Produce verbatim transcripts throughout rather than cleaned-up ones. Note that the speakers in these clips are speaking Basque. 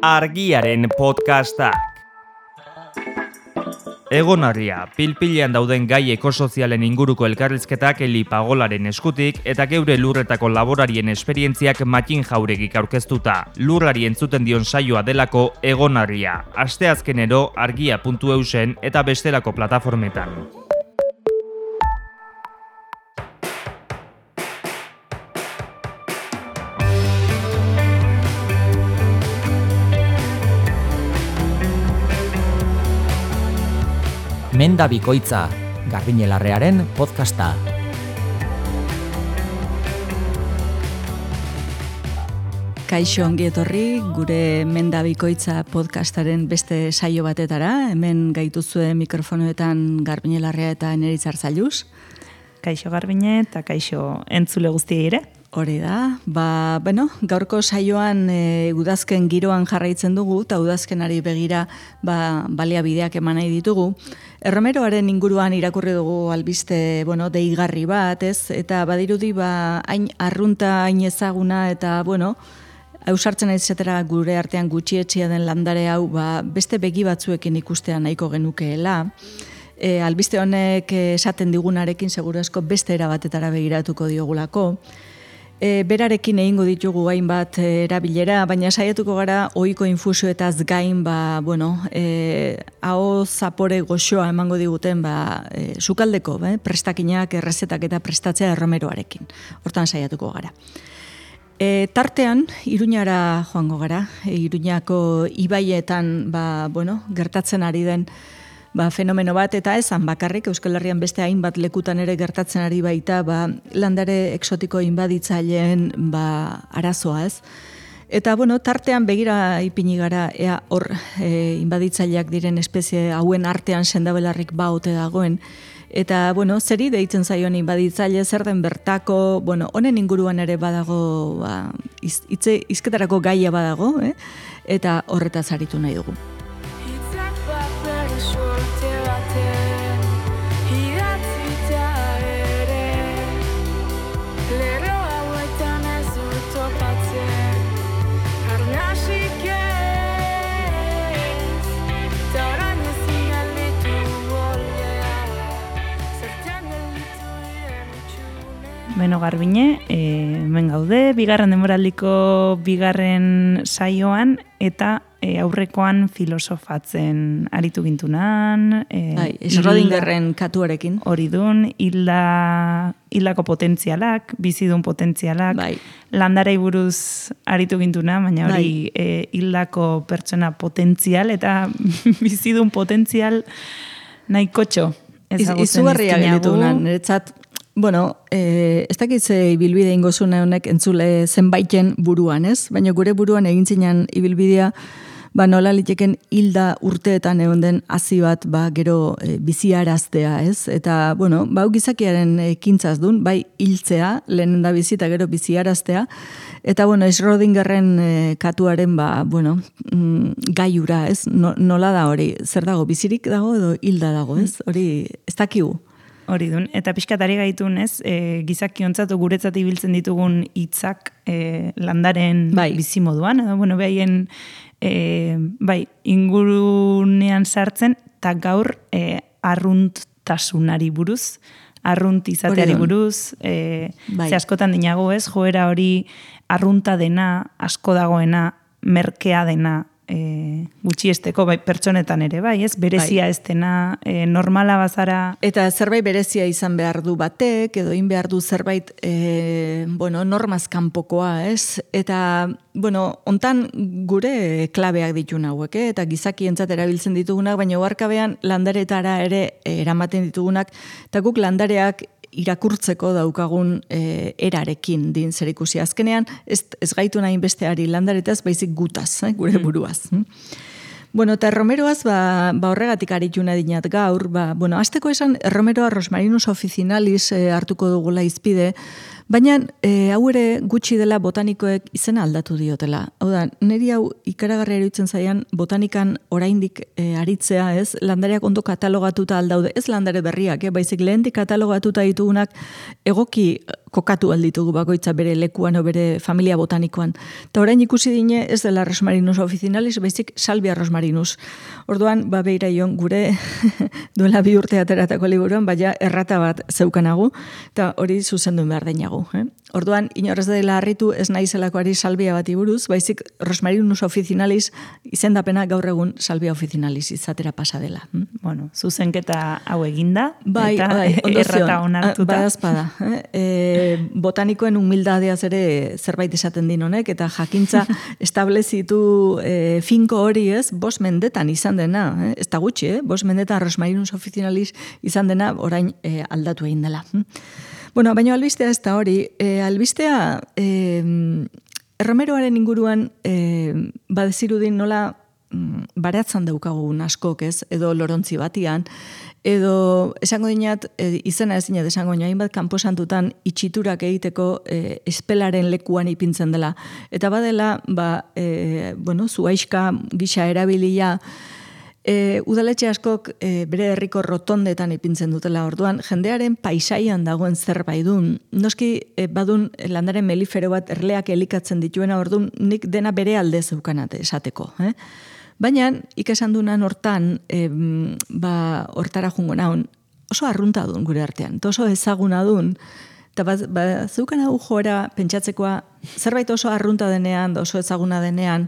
Argiaren podcastak. Egonarria, pilpilean dauden gai ekosozialen inguruko elkarrizketak Eli Pagolaren eskutik eta geure lurretako laborarien esperientziak Matin Jauregik aurkeztuta. Lurrari entzuten dion saioa delako Egonarria. Asteazkenero argia puntu eusen eta bestelako plataformetan. Menda Bikoitza, Garbiñelarrearen podcasta. Kaixo ongi etorri gure Menda Bikoitza podcastaren beste saio batetara. Hemen gaituzue mikrofonoetan Garbiñelarrea eta Eneritz Arzailuz. Kaixo Garbiñe eta kaixo entzule guztiei ere. Hori da, ba, bueno, gaurko saioan e, udazken giroan jarraitzen dugu, eta udazkenari begira ba, baliabideak eman nahi ditugu. Erromeroaren inguruan irakurri dugu albiste, bueno, deigarri bat, ez? Eta badirudi, ba, hain arrunta, hain ezaguna, eta, bueno, ausartzen aizetera gure artean gutxietxia den landare hau, ba, beste begi batzuekin ikustea nahiko genukeela. E, albiste honek esaten digunarekin seguru asko beste erabatetara begiratuko diogulako. E, berarekin egingo ditugu hainbat e, erabilera, baina saiatuko gara ohiko infusioetaz gain, ba, bueno, e, aho zapore goxoa emango diguten, ba, e, sukaldeko, be, prestakinak, errezetak eta prestatzea erromeroarekin. Hortan saiatuko gara. E, tartean, Iruñara joango gara, e, Iruñako ibaietan, ba, bueno, gertatzen ari den Ba, fenomeno bat, eta esan bakarrik, Euskal Herrian beste hainbat lekutan ere gertatzen ari baita, ba, landare exotiko inbaditzaileen ba, arazoa ez. Eta, bueno, tartean begira ipini gara, ea hor e, inbaditzaileak diren espezie hauen artean sendabelarrik ba ote dagoen. Eta, bueno, zeri deitzen zaion inbaditzaile, zer den bertako, bueno, honen inguruan ere badago, ba, iz, itze, izketarako gaia badago, eh? Eta horretaz aritu nahi dugu. Beno Garbiñe, e, hemen gaude, bigarren denboraldiko bigarren saioan eta e, aurrekoan filosofatzen aritu gintunan. E, bai, Schrödingerren katuarekin. Hori dun, hilda, hildako potentzialak, bizidun potentzialak, bai. Landarei buruz aritu gintuna, baina hori bai. e, hildako pertsona potentzial eta bizidun potentzial nahikotxo. Izugarria gelitu nan, niretzat. Bueno, eh, ez dakitze ibilbide ingozune honek entzule zenbaiten buruan, ez? Baina gure buruan egin zinan ibilbidea, ba nola liteken hilda urteetan egon den hazi bat, ba gero e, biziaraztea, ez? Eta, bueno, ba gizakiaren ekintzaz dun, bai hiltzea, lehen da bizi eta gero biziaraztea, eta, bueno, Schrödingerren e, katuaren, ba, bueno, mm, gaiura, ez? No, nola da hori, zer dago, bizirik dago edo hilda dago, ez? Hori, ez dakigu. Hori dun, eta pixkatari gaitun ez, e, gizakiontzatu guretzat ibiltzen ditugun hitzak e, landaren bai. Bizimoduan, edo, bueno, behaien e, bai, ingurunean sartzen, eta gaur e, arruntasunari buruz, arrunt izateari buruz, e, bai. Ze askotan dinago ez, joera hori arrunta dena, asko dagoena, merkea dena, E, gutxiesteko bai, pertsonetan ere, bai, ez? Berezia bai. Ez dena, e, normala bazara. Eta zerbait berezia izan behar du batek, edo in behar du zerbait, e, bueno, normaz kanpokoa, ez? Eta, bueno, hontan gure klabeak ditun hauek, eh? Eta gizakientzat erabiltzen ditugunak, baina oharkabean landaretara ere eramaten ditugunak, eta guk landareak irakurtzeko daukagun e, erarekin din zer ikusi. Azkenean, ez, ez gaitu nahi besteari landaretaz, baizik gutaz, eh, gure buruaz. Mm. Bueno, eta erromeroaz, ba, ba horregatik arituna dinat gaur, ba, bueno, azteko esan erromeroa Rosmarinus officinalis e, hartuko dugula izpide, baina e, hau ere gutxi dela botanikoek izena aldatu diotela. Hau da, niri hau ikaragarria eruditzen zaian botanikan oraindik e, aritzea, ez, landareak ondo katalogatuta aldaude, ez landare berriak, eh, baizik lehendik katalogatuta ditugunak egoki kokatu alditugu bakoitza bere lekuan o bere familia botanikoan. Eta orain ikusi dine ez dela Rosmarinus officinalis, baizik Salvia rosmarinus. Orduan, ba beira ion gure duela bi urte ateratako liburuan, baina errata bat zeukanagu, eta hori zuzendu behar deinagu. Eh? Orduan, inorrez dela harritu ez naizelakoari Salvia bat iburuz, baizik Rosmarinus officinalis izendapena gaur egun Salvia officinalis izatera pasa dela. Hm? Bueno, zuzenketa hau eginda, bai, eta bai, errata onartuta. Badazpada. Eh? E, botanikoen humildadeaz ere zerbait esaten din honek, eta jakintza establezitu e, finko hori ez, bos mendetan izan dena, eh? Ez da gutxi, eh? Bos mendetan Rosmarinus officinalis izan dena orain e, aldatu egin dela. Hm? Bueno, baina albistea ez da hori, e, albistea e, erromeroaren inguruan e, badezirudin nola baratzan daukagun askok ez, edo lorontzi batian, edo esango dinat, e, izena ez dinat esango dinat, hainbat kanposantutan itxiturak egiteko e, espelaren lekuan ipintzen dela. Eta badela, ba, e, bueno, zuaiska gisa erabilia, e, udaletxe askok e, bere herriko rotondetan ipintzen dutela. Orduan, jendearen paisaian dagoen zerbait dun. Noski, e, badun landaren melifero bat erleak elikatzen dituena, orduan nik dena bere alde zeukanat esateko, eh? Baina, ikesan dunan hortan, e, ba, hortara jungo naun, oso arrunta dun gure artean, oso ezaguna dun, eta ba, ba, zeukan hau joera pentsatzekoa, zerbait oso arrunta denean, oso ezaguna denean,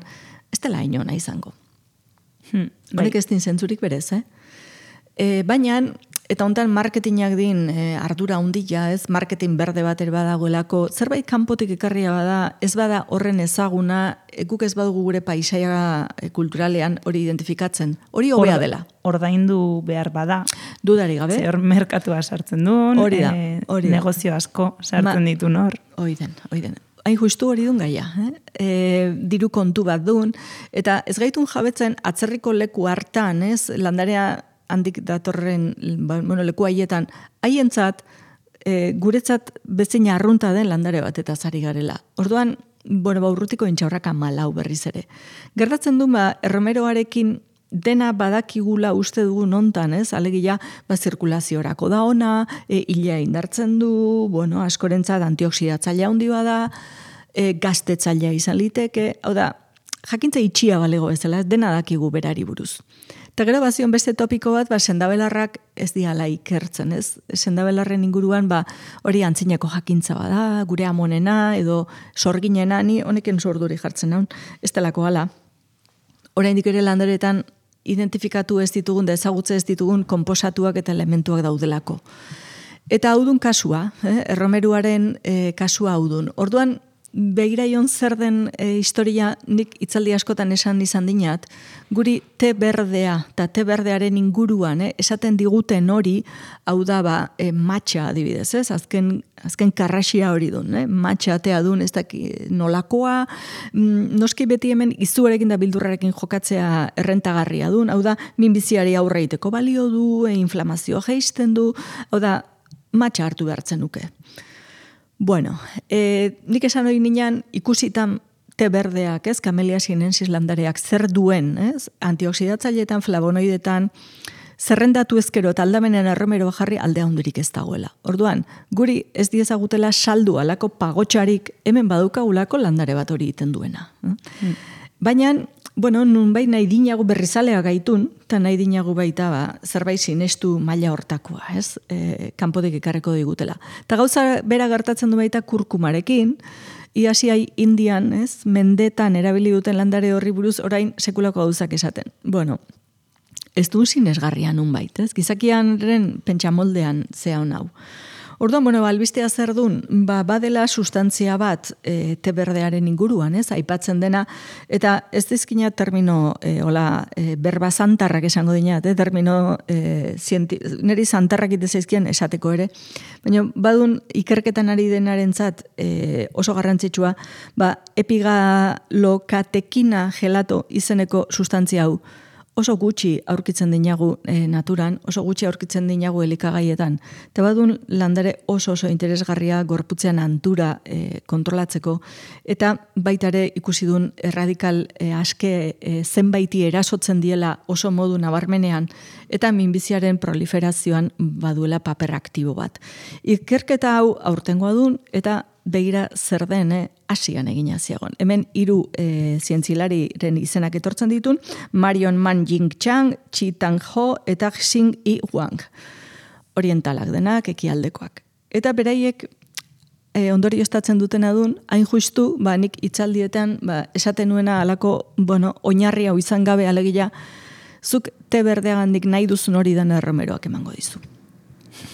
ez dela inona izango. Hmm, Honek ez din zentzurik berez, eh? E, baina, eta hontan marketingak din e, ardura hundila, ez, marketing berde bat ere badagoelako, zerbait kanpotik ekarria bada, ez bada horren ezaguna, guk ez badugu gure paisaia kulturalean hori identifikatzen. Hori hobea dela. Ordaindu behar bada. Dudari gabe. Zer merkatua sartzen duen, hori da, hori da. Negozio asko sartzen Ma, ditu nor. Hoi den, hoi den. Hain justu hori dun gaia, eh? E, diru kontu bat dun, eta ez gaitun jabetzen atzerriko leku hartan, ez, landarea handik datorren, bueno, leku haietan, haientzat, e, guretzat bezin arrunta den landare bat eta zari garela. Orduan, bueno, ba, urrutiko intxaurraka malau berriz ere. Gertatzen du, ba, erromeroarekin dena badakigula uste dugu nontan, ez? Alegia, ba, zirkulaziorako da ona, e, hilea indartzen du, bueno, askorentzat antioksidatzailea handi bada, e, gaztetzailea izan liteke, hau da, jakintza itxia balego bezala, dena dakigu berari buruz. Eta gero bazion beste topiko bat, ba, sendabelarrak ez diala ikertzen, ez? Sendabelarren inguruan, ba, hori antzinako jakintza bada, gure amonena, edo sorginena, ni honeken sorduri jartzen naun, ez delako hala. Oraindik ere landaretan identifikatu ez ditugun, da ezagutze ez ditugun konposatuak eta elementuak daudelako. Eta haudun kasua, eh? Erromeruaren eh, kasua haudun. Orduan, begiraion zer den e, historia nik itzaldi askotan esan izan dinat, guri te berdea eta te berdearen inguruan eh, esaten diguten hori, hau da ba, e, matxa adibidez, ez? Azken, azken karrasia hori dun, eh? Matxa atea dun, ez daki nolakoa, mm, noski beti hemen izuarekin da bildurrarekin jokatzea errentagarria dun, hau da minbiziari aurre egiteko balio du, e, inflamazioa jeisten du, hau da matxa hartu behartzen nuke. Bueno, e, nik esan hori ninan ikusitan te berdeak, ez, Camellia sinensis landareak zer duen, ez, antioksidatzaileetan, flavonoidetan, zerrendatu ezkero eta aldamenean erromero jarri aldea hundurik ez dagoela. Orduan, guri ez diezagutela saldu alako pagotxarik hemen badukagulako landare bat hori egiten duena. Mm. Baina, bueno, nun bai nahi dinagu berrizalea gaitun, eta nahi dinagu baita ba, zerbait sinestu maila hortakoa, ez? E, kanpotik ekarreko digutela. Eta gauza bera gertatzen du baita kurkumarekin, iasiai Indian, ez? Mendetan erabili duten landare horri buruz orain sekulako gauzak esaten. Bueno, ez du sinesgarria nun bait, ez? Gizakianren pentsamoldean zea hon hau. Orduan, bueno, albistea zer dun, ba, badela sustantzia bat e, te berdearen inguruan, ez, aipatzen dena, eta ez dizkina termino, e, hola, e, berba zantarrak esango dinat, eh, termino, e, zienti, niri zantarrak itezaizkien esateko ere, baina badun ikerketan ari denarentzat e, oso garrantzitsua, ba, epigalokatekina gelato izeneko sustantzia hau, oso gutxi aurkitzen dinagu e, naturan, oso gutxi aurkitzen dinagu elikagaietan. Eta badun landare oso oso interesgarria gorputzean antura e, kontrolatzeko, eta baitare ikusi dun erradikal e, aske e, zenbaiti erasotzen diela oso modu nabarmenean, eta minbiziaren proliferazioan baduela paper aktibo bat. Ikerketa hau aurtengoa dun, eta begira zer den, eh, asian egina ziagon. Hemen hiru e, zientzilariren izenak etortzen ditun, Marion Man Jing Chang, Chi Tang Ho eta Xing Yi Wang. Orientalak denak, ekialdekoak. Eta beraiek e, ondorio estatzen dutena dun, hain justu, ba, nik itzaldietan, ba, esaten nuena alako, bueno, oinarri hau izan gabe alegia, zuk te berdeagandik nahi duzun hori den erromeroak emango dizu.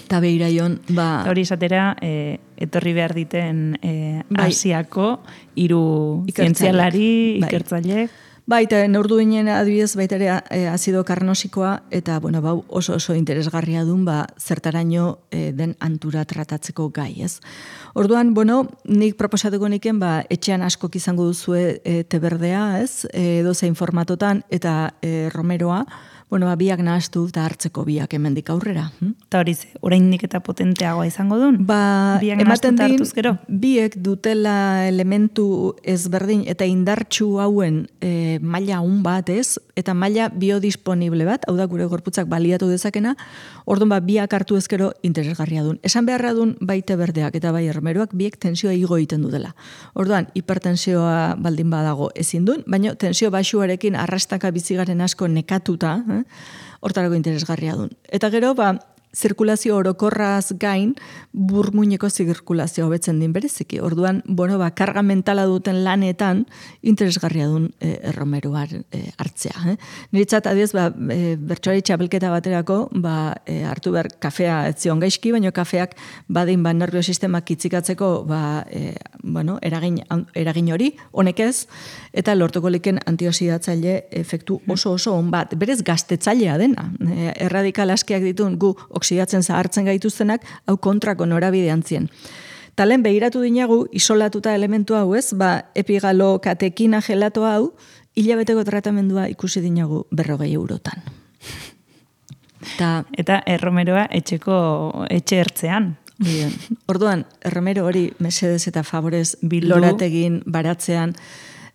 Eta behiraion, ba... Hori esatera, e, etorri behar diten e, bai, Asiako hiru zientzialari, bai, ikertzaile. Bai, eta neurdu ginen adibidez baita ere e, azido karnosikoa, eta bueno, bau oso oso interesgarria dun, ba, zertaraino e, den antura tratatzeko gai, ez? Orduan, bueno, nik proposatuko niken, ba, etxean askok izango duzue e, teberdea, ez? E, dozein formatotan, eta e, romeroa, bueno, ba, biak nahastu eta hartzeko biak hemendik aurrera. Eta hori ze, oraindik eta potenteagoa izango duen? Ba, biak ematen nahastu din, hartuz gero? Biek dutela elementu ezberdin eta indartsu hauen e, maila un bat, ez? Eta maila biodisponible bat, hau da gure gorputzak baliatu dezakena, orduan ba, biak hartu ezkero interesgarria duen. Esan beharra duen baite berdeak eta bai erromeroak biek tensioa igo egiten dutela. Orduan, hipertensioa baldin badago ezin duen, baina tensio baxuarekin arrastaka bizigaren asko nekatuta, eh? Hortarako interesgarria duen. Eta gero, ba, zirkulazio orokorraz gain, burmuineko zirkulazio hobetzen din bereziki. Orduan, bueno, ba, karga mentala duten lanetan, interesgarria duen e, erromeroar e, hartzea. Eh? Niritzat, adiez, ba, e, bertsoari txapelketa baterako, ba, e, hartu behar kafea etzion gaizki, baina kafeak badin ba, nervio sistemak itzikatzeko ba, e, bueno, eragin, eragin hori, honek ez, eta lortuko liken antioxidatzaile efektu oso oso on bat. Berez gaztetzailea dena. E, erradikal askeak ditun gu oksidatzen zahartzen gaituztenak, hau kontrako norabidean zien. Talen behiratu dinagu, isolatuta elementu hau ez, ba, epigalo katekina gelato hau, hilabeteko tratamendua ikusi dinagu berrogei eurotan. Ta, eta erromeroa etxeko etxe ertzean. Bien. Orduan, erromero hori mesedez eta favorez bildu, lorategin, baratzean,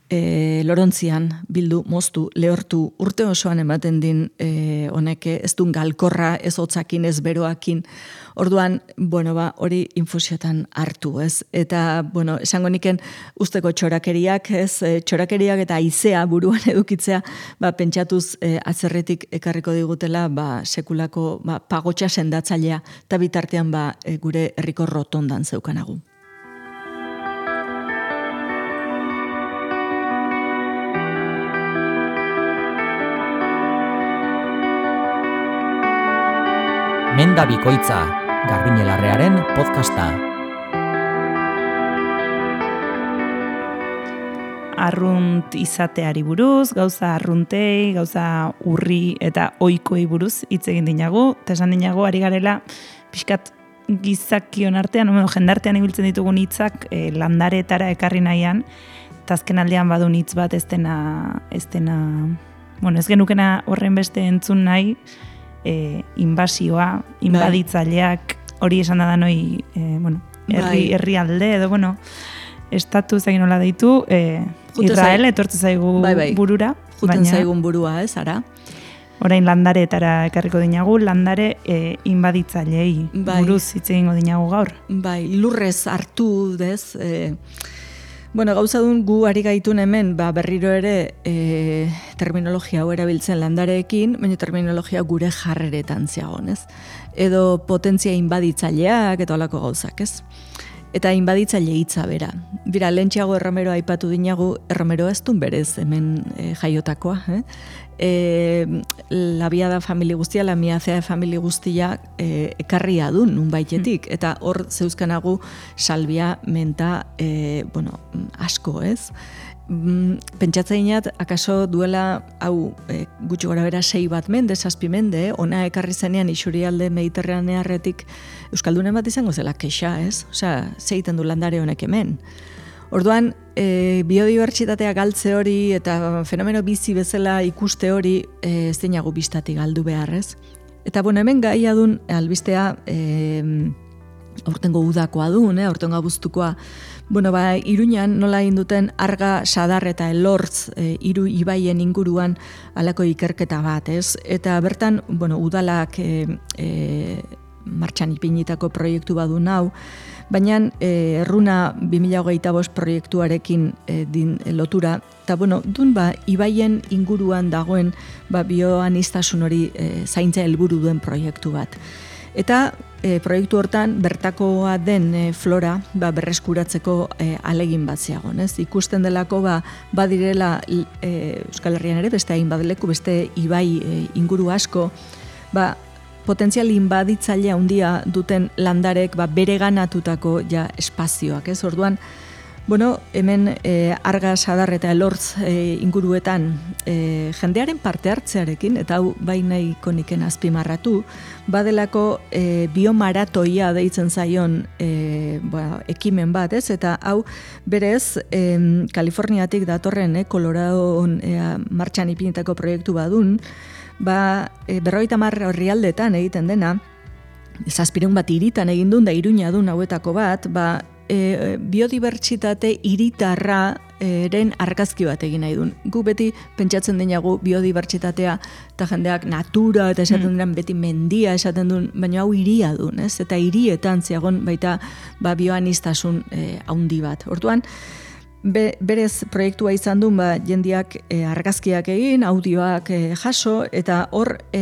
E, lorontzian, bildu, moztu, lehortu, urte osoan ematen din e, honeke, ez dun galkorra, ez hotzakin, ez beroakin. Orduan, bueno, ba, hori infusiotan hartu, ez? Eta, bueno, esango niken usteko txorakeriak, ez? E, txorakeriak eta aizea buruan edukitzea, ba, pentsatuz e, atzerretik ekarriko digutela, ba, sekulako ba, pagotxa sendatzailea, eta bitartean ba, e, gure herriko rotondan zeukanagu. Menda Bikoitza, Garbiñelarrearen podcasta. Arrunt izateari buruz, gauza arruntei, gauza urri eta oikoi buruz hitz egin dinagu, eta esan dinagu ari garela pixkat gizakion artean, bueno, jendartean ibiltzen ditugun hitzak eh, landaretara ekarri nahian, eta azken aldean badun hitz bat ez dena, ez dena, bueno, ez genukena horren beste entzun nahi, E, inbasioa, inbaditzaileak, hori esan da noi, e, bueno, herri, herri alde, edo, bueno, estatu zegin nola deitu, e, Israel etortze zaigu bai, bai. burura. Juten baina, zaigun burua, ez, ara? Orain landareetara ekarriko dinagu, landare e, inbaditzailei bai. buruz hitz egingo dinagu gaur. Bai, lurrez hartu, dez, e, bueno, gauza dun gu ari gaitun hemen, ba, berriro ere e, terminologia hau erabiltzen landareekin, baina terminologia gure jarreretan ziagon, ez? Edo potentzia inbaditzaileak eta olako gauzak, ez? Eta inbaditzaile hitza bera. Bira, lentxeago erromero aipatu dinagu, erromero ez dun berez hemen e, jaiotakoa, eh? E, labiada famili guztia, lamiazea famili guztia e, ekarria du nun baitetik, eta hor zeuzkanagu salbia, menta, e, bueno, asko, ez? Pentsatzeinat, akaso duela, hau, e, gutxi gora bera sei bat mende, zazpi mende, ona ekarri zenean isurialde mediterranearretik Euskaldunen bat izango zela kexa, ez? Osea, zeiten du landare honek hemen. Orduan, e, biodibertsitatea galtze hori eta fenomeno bizi bezala ikuste hori e, ez dinagu bistatik galdu beharrez. Eta bueno, hemen gaia dun albistea e, aurtengo udakoa dun, eh, aurtengo abuztukoa. Bueno, ba, Iruñan nola egin duten Arga, Sadar eta Elortz e, hiru ibaien inguruan halako ikerketa bat, ez? Eta bertan, bueno, udalak e, e, martxan ipinitako proiektu badu nau, baina e, erruna bi mila hogeita bost proiektuarekin e, din e, lotura, eta bueno, dun ba, ibaien inguruan dagoen ba, bioanistasun hori e, zaintza helburu duen proiektu bat. Eta e, proiektu hortan bertakoa den e, flora ba, berreskuratzeko e, alegin bat zeagon, ez? Ikusten delako ba, badirela e, Euskal Herrian ere, beste hain badeleku, beste ibai e, inguru asko, ba, potentzial inbaditzaile handia duten landarek ba, bereganatutako ja espazioak, ez? Orduan, bueno, hemen e, Arga, Sadar eta Elortz e, inguruetan e, jendearen parte hartzearekin, eta hau bai nahiko niken azpimarratu, badelako e, biomaratoia deitzen zaion e, ba, ekimen bat, ez? Eta hau berez e, Kaliforniatik datorren, e, Coloradoon e, martxan ipinitako proiektu badun, ba, e, berrogeita hamar herrialdetan egiten dena, zazpireun bat hiritan egin duen, da Iruña dun hauetako bat, ba, e, biodibertsitate hiritarra eren argazki bat egin nahi duen. Gu beti pentsatzen denagu biodibertsitatea eta jendeak natura eta esaten duen beti mendia esaten duen, baina hau hiria duen, ez? Eta hirietan zeagon baita ba, bioanistasun e, haundi bat. Orduan, Be, berez proiektua izan duen ba, jendiak e, argazkiak egin, audioak e, jaso, eta hor e,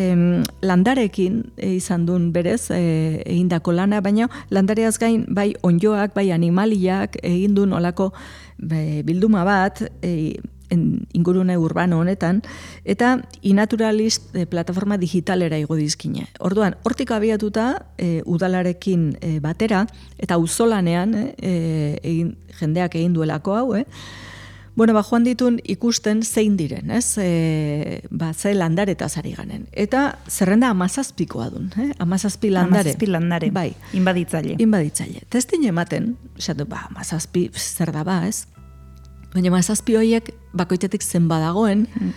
landarekin e, izan duen berez e, egindako lana, baina landareaz gain bai onjoak, bai animaliak egin duen olako be, bilduma bat, e, en, ingurune urbano honetan, eta inaturalist e, plataforma digitalera igo dizkine. Orduan, hortik abiatuta e, udalarekin e, batera, eta auzolanean e, egin, jendeak egin duelako hau, eh? Bueno, ba, joan ditun ikusten zein diren, ez? E, ba, ze landaretaz ari ganen. Eta zerrenda amazazpikoa dun, eh? Amazazpi landare. Amazazpi landare, bai. Inbaditzaile. Inbaditzaile. Testin ematen, esatu, ba, amazazpi zer da ba, ez? Baina amazazpi horiek bakoitzetik zen badagoen, mm.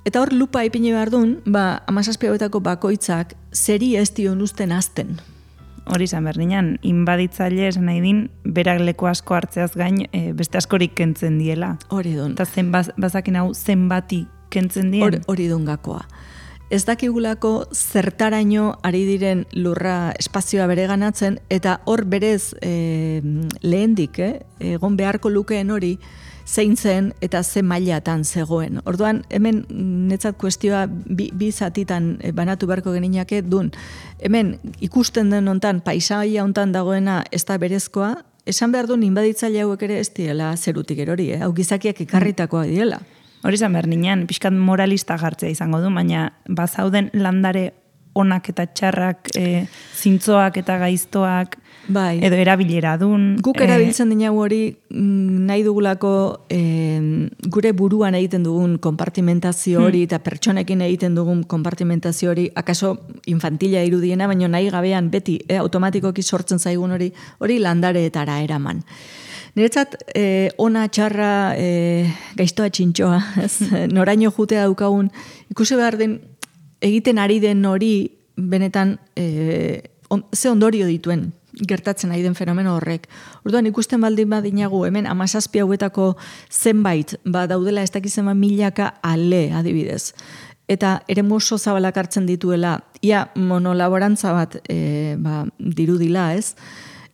Eta hor lupa ipini behar dun, ba, amazazpi hauetako bakoitzak zeri ez dion usten azten. Hori izan berdinan, inbaditzaile esan nahi din, berak leku asko hartzeaz gain, e, beste askorik kentzen diela. Hori dun. Eta zen baz, bazakin hau zenbati kentzen dien. Hori dun gakoa. Ez dakigulako zertaraino ari diren lurra espazioa bereganatzen, eta hor berez e, lehendik, eh, egon beharko lukeen hori, zein zen eta ze mailatan zegoen. Orduan, hemen netzat kuestioa bi, bi zatitan banatu beharko geninake dun. Hemen ikusten den hontan, paisaia hontan dagoena ez da berezkoa, esan behar duen inbaditzaile hauek ere ez diela zerutik erori, eh? Hau gizakiak ekarritakoa diela. Hori izan behar nian, pixkat moralista jartzea izango du, baina bazauden landare onak eta txarrak, e, zintzoak eta gaiztoak, bai. Edo erabilera dun. Guk erabiltzen dina hori nahi dugulako e, gure buruan egiten dugun konpartimentazio hori hmm. eta pertsonekin egiten dugun konpartimentazio hori akaso infantila irudiena, baina nahi gabean beti e, automatikoki sortzen zaigun hori hori landareetara eraman. Niretzat, eh, ona txarra eh, gaiztoa txintxoa, ez? Noraino jutea daukagun, ikusi behar den egiten ari den hori benetan eh, on, ze ondorio dituen gertatzen ari den fenomeno horrek. Orduan ikusten baldin badinagu hemen hamazazpi hauetako zenbait ba daudela ez dakizen milaka ale adibidez. Eta eremu oso zabalak hartzen dituela, ia monolaborantza bat e, ba, dirudila, ez?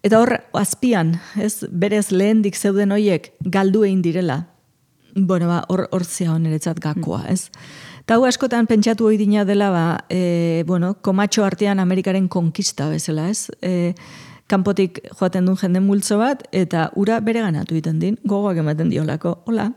Eta hor azpian, ez, berez lehendik zeuden hoiek galdu egin direla. Bueno, ba, hor hor zea honeretzat gakoa, ez? Eta hau askotan pentsatu hori dina dela, ba, e, bueno, komatxo artean Amerikaren konkista bezala, ez? E, kanpotik joaten duen jende multzo bat, eta ura bere ganatu egiten din, gogoak ematen diolako. Hola,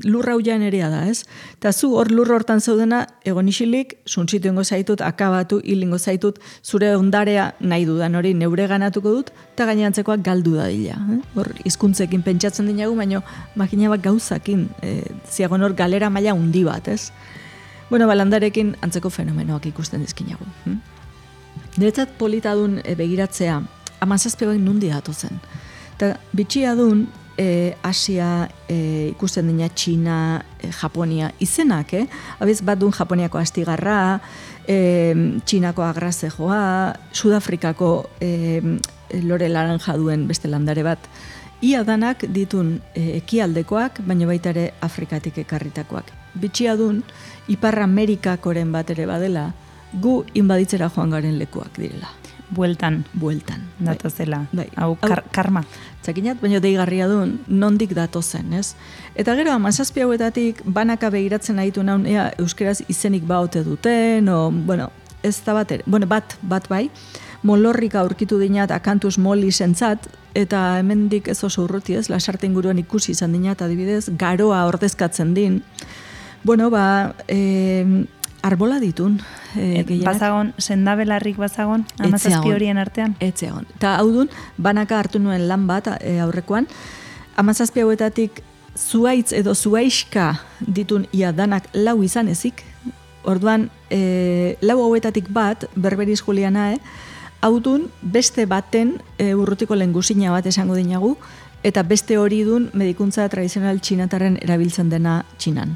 lurra hau jaen erea da, ez? Eta zu hor lurra hortan zaudena, egon isilik, suntzitu ingo zaitut, akabatu, hilingo zaitut, zure ondarea nahi dudan hori neure ganatuko dut, eta gainantzekoak galdu da dila. Eh? Hor, hizkuntzekin pentsatzen dinagu, baina makina bat gauzakin, eh, ziagon hor galera maila handi bat, ez? Bueno, balandarekin antzeko fenomenoak ikusten dizkinagu. Hm? Niretzat polita dun e, begiratzea, amazazpioak nundi datu zen. Eta bitxia dun, e, Asia, e, ikusten dina Txina, e, Japonia, izenak, eh? Abiz bat duen Japoniako astigarra, e, Txinako agrazejoa, Sudafrikako e, lore laranja duen beste landare bat, ia danak ditun e, ekialdekoak, baina baita ere Afrikatik ekarritakoak. Bitxia dun, Ipar Amerikakoren bat ere badela, gu inbaditzera joan garen lekuak direla. Bueltan. Bueltan. Datozela. Bai. Hau kar, karma. Txakinat, baina deigarria duen, nondik datozen, ez? Eta gero, amazazpi hauetatik, banaka begiratzen aditu naun, ea, euskeraz izenik baote duten, o, bueno, ez da bat ere, bueno, bat, bat bai, molorrika aurkitu dinat Akanthus mollis entzat, eta hemendik ez oso urruti ez, lasarte inguruan ikusi izan dinat, adibidez, garoa ordezkatzen din. Bueno, ba, e, arbola ditun. E, bazagon, sendabelarrik bazagon, amazazpi horien artean? Etzeagon. Eta hau dun, banaka hartu nuen lan bat e, aurrekoan, amazazpi hauetatik zuaitz edo zuaiska ditun ia danak lau izan ezik, orduan, e, lau hauetatik bat, Berberiz Julianae, hau dun, beste baten e, urrutiko lengusina bat esango dinagu, eta beste hori dun medikuntza tradizional txinatarren erabiltzen dena Txinan.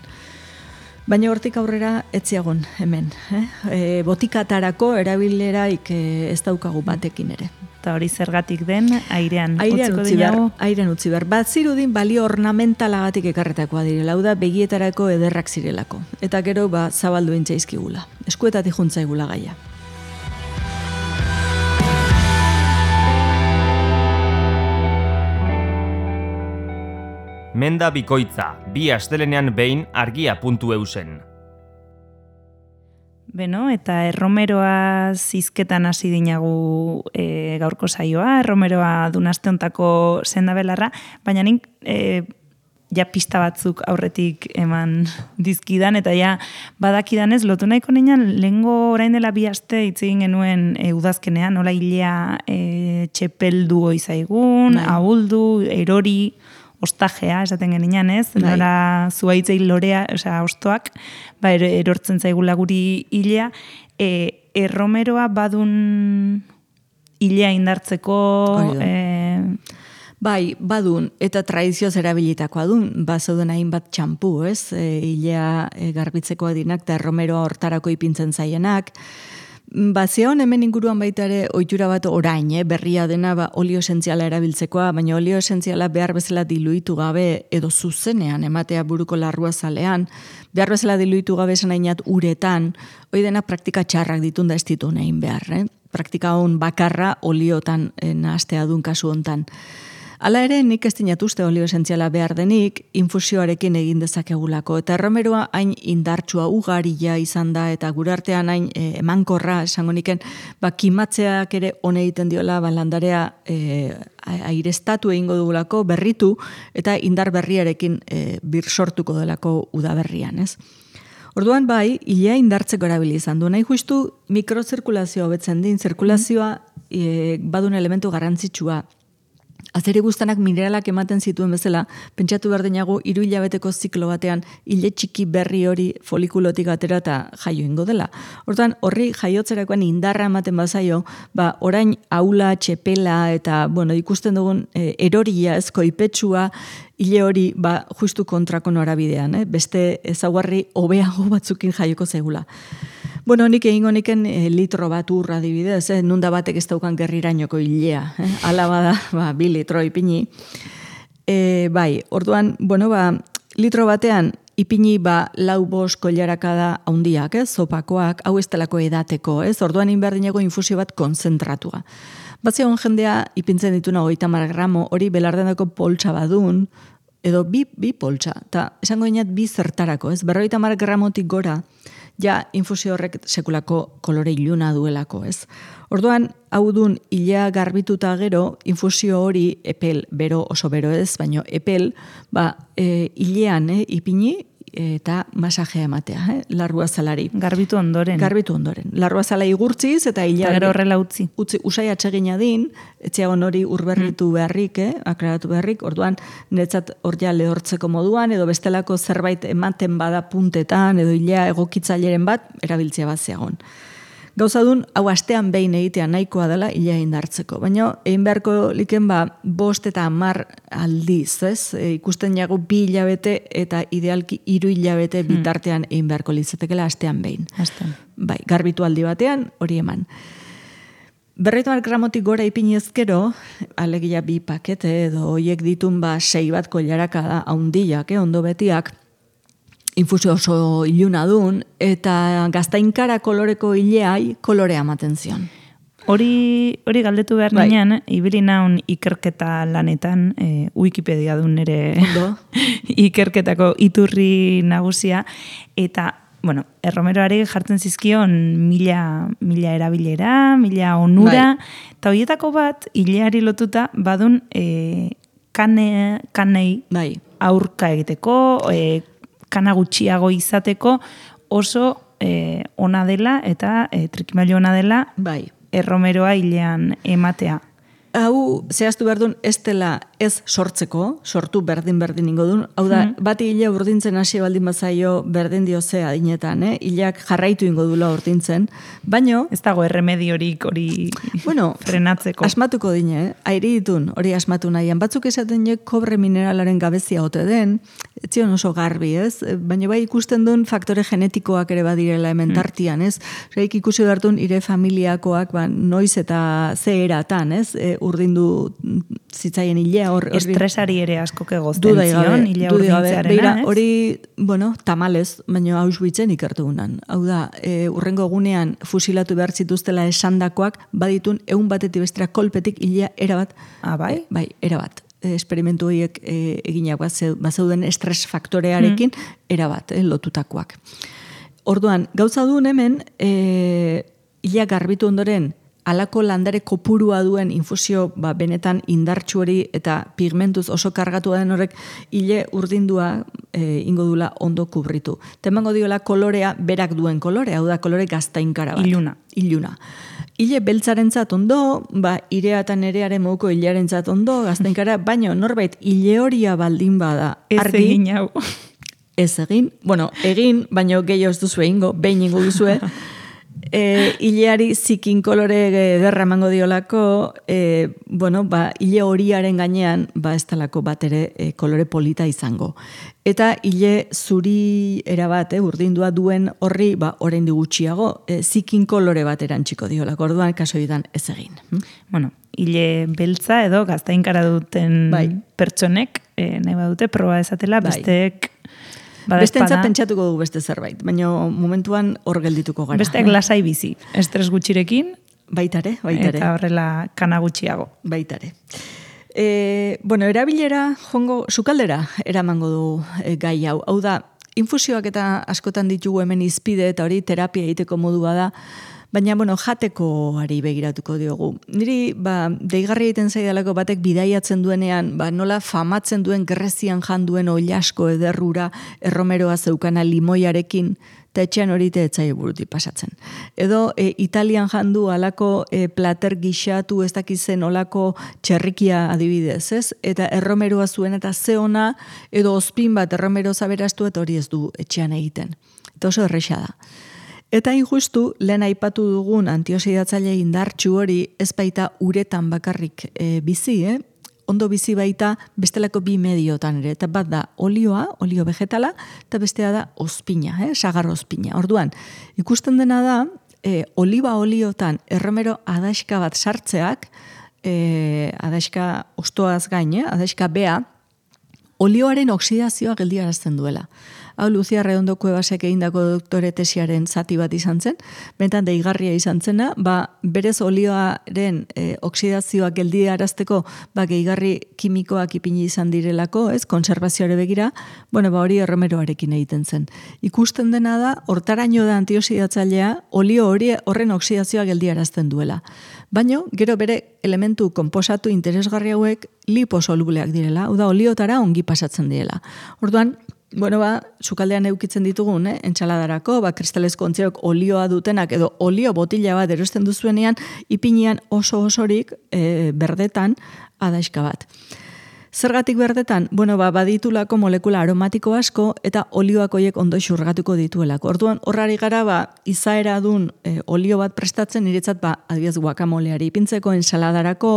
Baina hortik aurrera etziagon hemen. Eh? E, botikatarako erabileraik e, ez daukagu batekin ere. Eta hori zergatik den, airean, airean utzi behar. Airean utzi behar. Bat zirudin balio ornamentalagatik ekarretakoa direla, hau da begietarako ederrak zirelako. Eta gero ba, zabaldu intzaizkigula. Eskuetatik juntzaigula gaia. Menda bikoitza, bi astelenean behin argia puntu eusen. Beno, eta erromeroa zizketan hasi dinagu e, gaurko saioa, erromeroa dunaste hontako sendabelarra, baina nik e, ja pista batzuk aurretik eman dizkidan, eta ja badakidanez lotu nahiko nian, lehengo orain dela bi aste hitz egin genuen e, udazkenean, nola hilea e, txepeldu oizaigun, ahuldu, erori, ostajea, esaten genian ez, bai. Nola zuaitzei lorea, osea, ostoak, ba, erortzen zaigula guri hilea, e, erromeroa badun hilea indartzeko... E... Bai, badun, eta tradizioz erabilitakoa dun, ba, zauden hainbat txampu, ez, e, hilea e, garbitzeko adinak, eta erromeroa hortarako ipintzen zaienak. Ba, zeon hemen inguruan baita ere ohitura bat orain, eh, berria dena ba, olio esentziala erabiltzekoa, baina olio esentziala behar bezala diluitu gabe edo zuzenean ematea buruko larrua zalean, behar bezala diluitu gabe esan hainat uretan, hoi dena praktika txarrak ditun da ez ditu nahin behar, eh? Praktika hon bakarra oliotan eh, nahastea dun kasu hontan. Hala ere, nik ez dinat uste olio esentziala behar denik, infusioarekin egin dezakegulako. Eta erromeroa hain indartsua ugaria izan da, eta gure artean hain e, emankorra, esango niken, ba, kimatzeak ere hone egiten diola, ba, landarea e, airestatu egingo dugulako, berritu, eta indar berriarekin e, bir sortuko delako udaberrian, ez? Orduan bai, hilea indartzeko erabili izan du. Nahi justu mikrozirkulazioa hobetzen din, zirkulazioa e, badun elementu garrantzitsua. Azeri guztanak mineralak ematen zituen bezala, pentsatu behar denago, hiru hilabeteko ziklo batean, hile txiki berri hori folikulotik atera eta jaio ingo dela. Hortan, horri jaiotzerakoan indarra ematen bazaio, ba, orain aula, txepela eta, bueno, ikusten dugun e, eroria, ezkoipetsua, hile hori, ba, justu kontrako norabidean, eh? Beste ezaugarri hobeago batzukin jaioko zaigula. Bueno, nik egingo niken e, litro bat urra adibidez, eh? Nunda batek ez daukan gerrirainoko hilea. Eh? Ala bada, ba, bi litro ipini. E, bai, orduan, bueno, ba, litro batean ipini ba, lau bost koilarakada haundiak, eh? Zopakoak, hau ez telako edateko, ez? Orduan inberdineko infusio bat konzentratua. Batzeon jendea ipintzen dituna hogeita hamar gramo, hori belardendako poltsa badun, edo bi, bi poltsa, eta esango dinat bi zertarako, ez? Berrogeita hamar gramotik gora, ja infusio horrek sekulako kolore iluna duelako, ez? Orduan, hau dun hilea garbituta gero, infusio hori epel, bero oso bero ez, baino epel, ba, e, hilean, eh, ipini, eta masajea ematea, eh? Larrua zalari. Garbitu ondoren. Garbitu ondoren. Larrua zala igurtziz, eta hilea... Eta gero horrela utzi. Utzi, usai atsegina din, etxeagon hori urberritu mm. beharrik, eh? Aklaratu beharrik, orduan, niretzat hor ja lehortzeko moduan, edo bestelako zerbait ematen bada puntetan, edo hilea egokitzaileren bat, erabiltzea bat zeagon. Gauzadun, hau astean behin egitea nahikoa dela ila indartzeko. Baina, egin beharko liken ba, bost eta hamar aldiz, ez? E, ikusten jagu bi hilabete eta idealki hiru hilabete bitartean egin beharko litzatekela astean behin. Astean. Bai, garbitu aldi batean, hori eman. Berretu mar gramotik gora ipini ezkero, alegia bi pakete edo hoiek ditun ba sei bat koilaraka da haundiak, eh, ondo betiak, infusio oso iluna dun, eta gaztainkara koloreko ileai kolorea ematen zion. Hori, hori galdetu behar bai. Nian, ibili naun ikerketa lanetan, e, Wikipedia dun ere ikerketako iturri nagusia, eta bueno, erromeroari jartzen zizkion mila, mila erabilera, mila onura, eta bai. Horietako bat, hileari lotuta, badun e, kane, kanei bai. Aurka egiteko, e, kana gutxiago izateko, oso e, ona dela eta e, trikimailu ona dela bai. Erromeroa hilean ematea. Hau, zehaztu behar duen, ez dela ez sortzeko, sortu berdin-berdin ingo duen. Hau da, mm. bati hile urdintzen hasi baldin bazaio berdin diozea adinetan, eh? Hileak jarraitu ingo dula urdintzen, baino... Ez dago erremediorik hori bueno, frenatzeko. Asmatuko dine, eh? Airi ditun, hori asmatu nahian. Batzuk esaten je kobre mineralaren gabezia ote den, etzion oso garbi, ez? Baina bai ikusten duen faktore genetikoak ere badirela hemen tartian, ez? Reik ikusi behartun ire familiakoak, ba, noiz eta ze eratan, ez? E, urdindu zitzaien hilea hor... Estresari ere asko egozten zion, hilea urdintzearena, ez? Hori, bueno, tamalez, baina Auschwitzen ikertu gunan. Hau da, e, urrengo egunean fusilatu behar zituztela esandakoak, baditun egun batetik bestera kolpetik hilea erabat. Ah, bai? E, bai, erabat. Esperimentu horiek e, eginak bazeuden estres faktorearekin mm. erabat, e, lotutakoak. Orduan, gauza duen hemen, e, hilea garbitu ondoren, alako landare kopurua duen infusio ba, benetan indartsu hori eta pigmentuz oso kargatu den horrek hile urdindua e, ingo dula ondo kubritu. Temango diola kolorea berak duen kolore, hau da kolore gaztainkara bat. Iluna. Iluna. Hile beltzarentzat ondo, ba, irea eta nerearen moduko hilearentzat ondo, gaztainkara, baina norbait hile horia baldin bada. Ez argi, egin hau. Ez egin, bueno, egin, baina gehiago ez duzu egingo, behin ingo duzue, E, hileari zikin kolore derra emango diolako, e, bueno, ba, hile horiaren gainean, ba, ez talako bat ere e, kolore polita izango. Eta hile zuri erabat, eh, urdindua duen horri, ba, orain gutxiago, e, zikin kolore bat erantxiko diolako, orduan kasoidan ez egin. Hm? Bueno, hile beltza edo gaztainkara duten bai. Pertsonek, e, nahi badute, proba ezatela, bai. Besteek Bestentza pentsatuko dugu beste zerbait, baina momentuan hor geldituko gara. Besteak lasai bizi, estres gutxirekin. Baitare, baitare. Eta horrela kana gutxiago. Baitare. E, bueno, erabilera, jongo, sukaldera eramango du e, gai hau. Hau da, infusioak eta askotan ditugu hemen izpide eta hori terapia egiteko modua da, baina, bueno, jatekoari begiratuko diogu. Niri, ba, deigarri egiten zaidalako batek bidaiatzen duenean, ba, nola famatzen duen Grezian jan duen oilasko ederrura erromeroa zeukana limoiarekin, eta etxean hori teetzai buruti pasatzen. Edo, e, Italian jandu alako e, plater gixatu ez dakizen olako txerrikia adibidez, ez? Eta erromeroa zuen eta ze ona, edo ospin bat erromero zaberastu eta hori ez du etxean egiten. Eta oso erresa da. Eta injustu, lehen aipatu dugun antioxidatzaile indartsu hori ez baita uretan bakarrik e, bizi, eh? Ondo bizi baita bestelako bi mediotan ere. Eta bat da olioa, olio vegetala, eta bestea da ospina, eh? Sagar ospina. Orduan, ikusten dena da, e, oliba oliotan erromero adaxka bat sartzeak, e, adaxka ostoaz gain, eh? Adaxka bea, olioaren oksidazioa geldiarazten duela. Hau, Lucia Redondo Cuevasek egindako doktore tesiaren zati bat izan zen, bentan deigarria izan zena, ba, berez olioaren e, oksidazioa geldiarazteko ba, gehigarri kimikoak ipini izan direlako, ez, konservazioare begira, bueno, ba, hori erromeroarekin egiten zen. Ikusten dena da, hortaraino da antioxidatzailea, olio hori horren oksidazioa geldiarazten duela. Baina, gero bere elementu konposatu interesgarri hauek liposolubleak direla, hau da, oliotara ongi pasatzen direla. Orduan, bueno, ba, sukaldean eukitzen ditugun, eh? Entxaladarako, ba, kristalezko ontziok olioa dutenak, edo olio botila bat erosten duzuenean, ipinian oso osorik e, berdetan adaixka bat. Zergatik berdetan, bueno, ba, baditulako molekula aromatiko asko eta olioak horiek ondo xurgatuko dituelako. Orduan, horrari gara, ba, izaera dun e, olio bat prestatzen, niretzat, ba, adibidez guakamoleari ipintzeko, ensaladarako,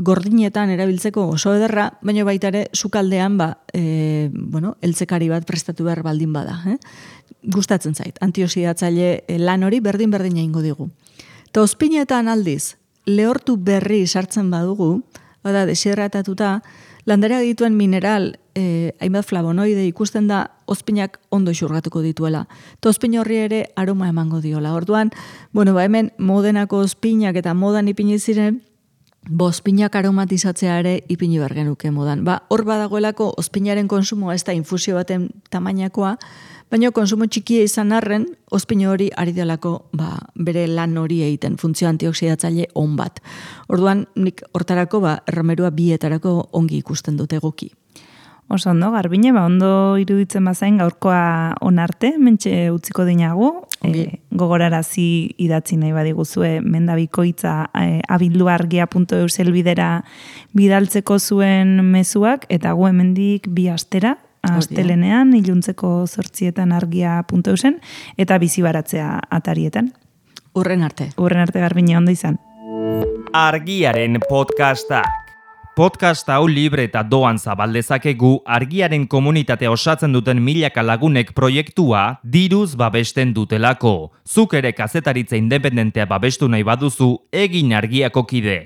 gordinetan erabiltzeko oso ederra, baina baita ere, sukaldean, ba, e, bueno, eltzekari bat prestatu behar baldin bada. Eh? Gustatzen zait, antioxidatzaile lan hori berdin-berdin egingo digu. Eta ozpinetan aldiz, lehortu berri sartzen badugu, bada, desierratatuta, landarea dituen mineral, eh, hainbat flavonoide ikusten da, ozpinak ondo xurgatuko dituela. Eta ozpin horri ere aroma emango diola. Orduan, bueno, ba hemen modenako ozpinak eta modan ipini ziren, bo ozpinak aromatizatzea ere ipini bergenuke modan. Ba, hor badagoelako ozpinaren konsumoa ez da infusio baten tamainakoa, baina konsumo txikia izan arren, ozpin hori ari delako ba, bere lan hori egiten, funtzio antioxidatzaile on bat. Orduan, nik hortarako, ba, erromerua bietarako ongi ikusten dute egoki. Oso ondo, Garbine, ba, ondo iruditzen bazain gaurkoa onarte, mentxe utziko dinagu, e, gogorarazi idatzi nahi badiguzue mendabikoitza e, abilduargia puntu eus helbidera bidaltzeko zuen mezuak, eta gu hemendik bi astera, astelenean, iluntzeko zortzietan argia puntu eusen, eta bizi baratzea atarietan. Urren arte. Urren arte, Garbine, ondo izan. Argiaren podcastak. Podcast hau libre eta doan zabaldezakegu argiaren komunitatea osatzen duten milaka lagunek proiektua diruz babesten dutelako. Zuk ere kazetaritza independentea babestu nahi baduzu, egin argiako kide.